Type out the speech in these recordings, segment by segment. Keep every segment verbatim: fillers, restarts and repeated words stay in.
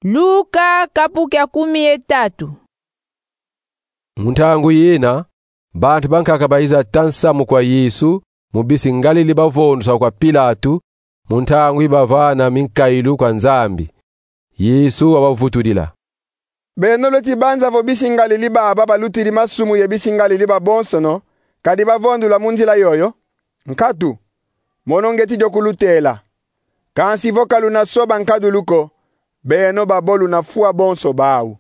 Luka kapu kia kumi ye tatu. Mu ntangu yina, bantu bankaka baiza ta nsamu kwa Yesu mu bisi Ngalili bavondusa kwa Pilatu, mu ntangu yi bavana minkailu kwa Nzambi. Yesu wabavutudila: Beno lweti banza vo bisi Ngalili baba balutidi masumu ye bisi Ngalili babonsono, kadi bavondula mu nzila yoyo? Nkatu, mono ngieti dio kulutela. Kansi vo ka luna soba nkadulu ko, beno babo luna fwa bonso bau.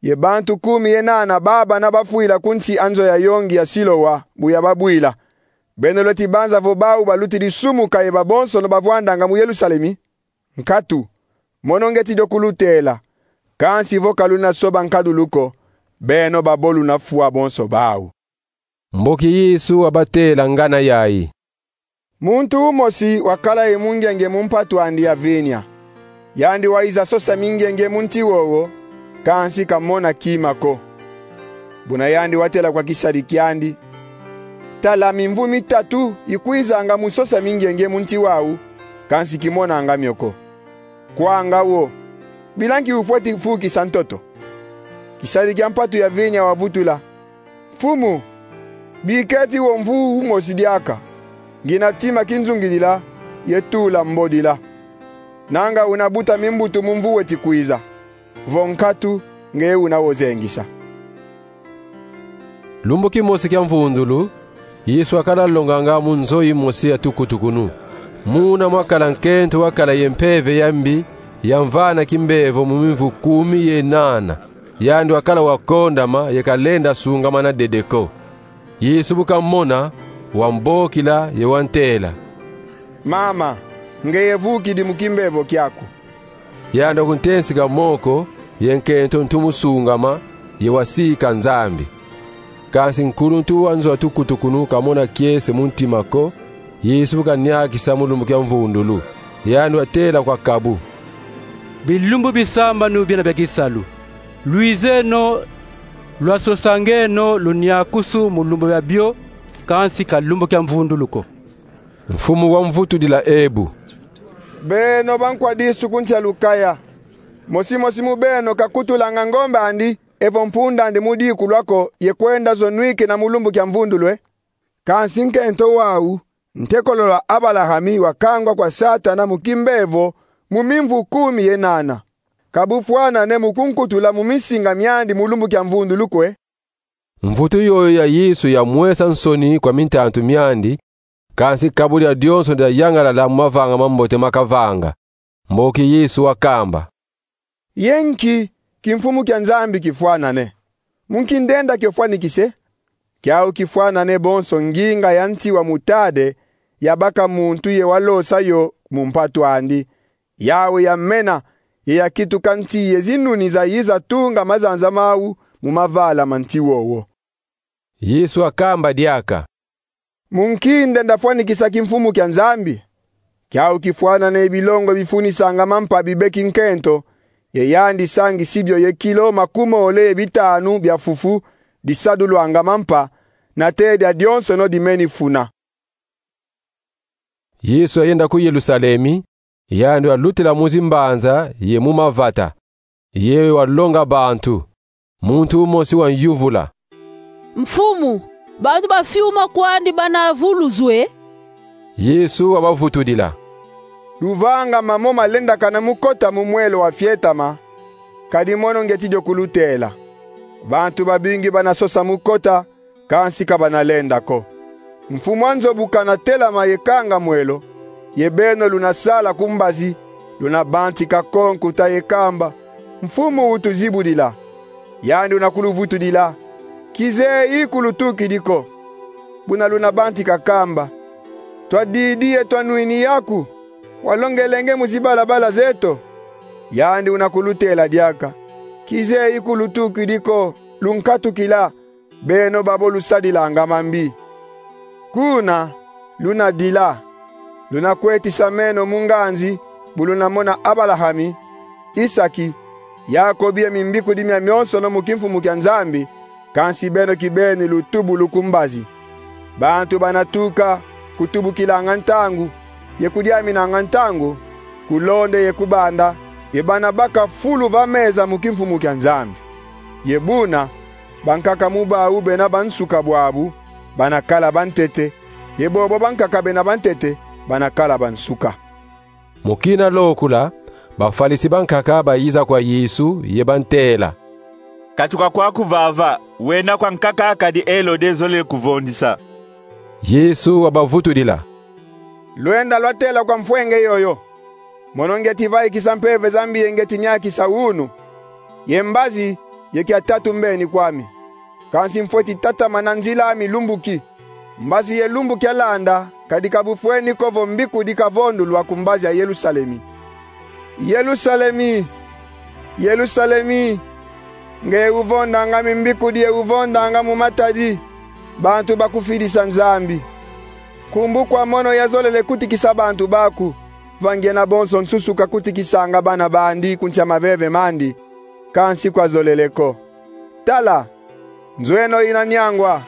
Ye bantu kumi ye nana baba na bafwila ku nsi a nzo ya yongi ya Siloa, bu yababwila: Beno lweti banza vo bau balutidi sumuka ye babonsono bavwandanga mu Yerusalemi? Nkatu, mono ngieti dio kulutela. Kansi vo ka luna soba nkadulu ko, beno babo luna fwa bonso bau. Mboki Yesu wabatela ngana yayi: Muntu umosi wakala ye mungenge mu mpatu andi ya vinya. Yandi waiza sosa mingenge mu nti wowo, kansi ka mona kima ko. Buna yandi watela kwa kisadi kiandi: Tala, mimvu mitatu ikwizanga mu sosa mingenge mu nti wau, kansi ki monanga mio ko. Kwanga wo, bila nki ufweti vukisa ntoto? Kisadi kia mpatu ya vinya wavutula: Mfumu, biketi wo mvu umosi diaka, ngina tima kinzungidila ye tula mbodila. Nanga una buta mimbutu mu mvu weti kwiza, vo nkatu nge una wo zengisa. Lumbu kimosi kia mvundulu, Yesu wakala longanga mu nzo yimosi ya tukutukunu. Muna mwakala nkento wakala ye mpeve ya mbi, yamvana kimbevo mu mimvu kumi ye nana. Yandi wakala wa kondama ye ka lenda sungamana dede ko. Yesu bu kamona, wambokila ye wantela: Mama, ngeye vukidi mu kimbevo kiaku. Yandi wakuntensika moko, ye nkento ntu mu sungama, ye wasika Nzambi. Kansi nkuluntu wa nzo a tukutukunu kamona kiese mu ntima ko, Yesu bu kaniakisa mu lumbu kia mvundulu. Yandi watela kwa kabu: Bilumbu bisambanu biena bia kisalu, lwizeno, lwasosangeno luniakusu mu lumbu biabio, kansi ka lumbu kia mvundulu ko. Mfumu wamvutudila ebu: Beno bankwa disu ku nsi a lukaya, mosi mosi mu beno kakutulanga ngombe andi evo mpunda andi mu diku lwa ko ye kwenda zo nwikina mu lumbu kia mvundulu e? Kansi nkento wau, ntekolo lwa Abalahami, wakangwa kwa Satana mu kimbevo mu mimvu kumi ye nana. Ka bufwanane mu kunkutula mu misinga miandi mu lumbu kia mvundulu ko e? Mvutu yoyo ya Yesu yamwesa nsoni kwa mintantu miandi, kansi kabu dia dionso diayangalala mu mavanga mambote makavanga. Mboki Yesu wakamba: Ye nki kimfumu kia Nzambi kifwanane? Mu nki ndenda kio fwanikise? Kiau kifwanane bonso nginga ya nti wa mutade yabaka muntu ye walosa yo mu mpatu andi. Yau yamena, ye yakituka nti ye zinuni zayiza tunga mazanza mau mu mavala ma nti wowo. Yesu wakamba diaka: Mu nki ndenda fwanikisa kimfumu kia Nzambi? Kiau kifwanane ye bilongo bifunisanga mampa bibeki nkento, ye yandi sangisi bio ye kilo makumole ye bitanu bia fufu disadulwanga mampa, nate dia dionsono dimeni funa. Yesu ayenda ku Yerusalemi, yandi walutila mu zimbanza ye mu mavata, ye walonga bantu. Muntu umosi wanyuvula: Mfumu, bantu ba fiuma kwandi bana vuluzwe. Yesu wabavutudila: Luvanga mamo malendakana mu kota mu mwelo wa fietama, kadi mono ngieti dio kulutela. Bantu babingi bana sosa mu kota, kansi ka bana lenda ko. Mfumu a nzo bu kana telama ye kanga mwelo, ye beno luna sala ku mbazi, luna bantika ko nkuta ye kamba: Mfumu, utuzibudila. Yandi una kuluvutudila: Kizeyi kulutukidi ko. Buna luna bantika kamba: Twadidi ye twanwini yaku, walongelenge mu zibalabala zeto. Yandi una kulutela diaka: Kizeyi kulutukidi ko, lunkatukila, beno babo lusadilanga mambi. Kuna luna dila, luna kwetisa meno mu nganzi, bu luna mona Abalahami, Isaki, Yakobi ye mimbikudi miamionsono mu kimfumu kia Nzambi, kansi beno kibeni lutubulu ku mbazi. Bantu bana tuka kutubukilanga ntangu, ye kudiaminanga ntangu, ku londe ye ku banda, ye bana baka fulu va meza mu kimfumu kia Nzambi. Ye buna, bankaka mu bau bena bansuka bwabu, bana kala bantete, ye bobo bankaka bena bantete, bana kala bansuka. Mu kina lokula, Bafalisi bankaka bayiza kwa Yesu, ye bantela: Katuka kwaku vava, wenda kwa nkaka kadi Elode zolele kuvondisa. Yesu wabavutudila: Lwenda lwatela kwa mfwenge yoyo: Mono ngieti vaikisa mpeve za mbi ye ngieti niakisa unu, ye mbazi ye kia tatu mbeni kwami. Kansi mfweti tatamana nzila ami lumbu ki. Mbazi ye lumbu kialanda, kadi ka bufweni ko vo mbikudi kavondulwa ku mbazi ya Yerusalemi: Yerusalemi, Yerusalemi, nge uvondanga mimbikudi ye uvondanga mu matadi, bantu bakufidisa Nzambi. Nkumbu kwa mono yazolele kutikisa bantu baku, va ngiena bonso nsusu kakutikisanga bana bandi ku nsi a maveve mandi, kansi kwazolele ko. Tala, nzo eno ina niangwa,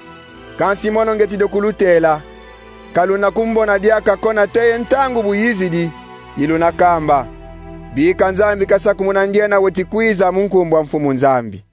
kansi mono ngieti dio kulutela. Ka luna kumbona diaka ko nate ye ntangu bu yizidi, yi luna kamba: Bika Nzambi kasakumuna ndiena weti kwiza mu nkumbu a Mfumu Nzambi.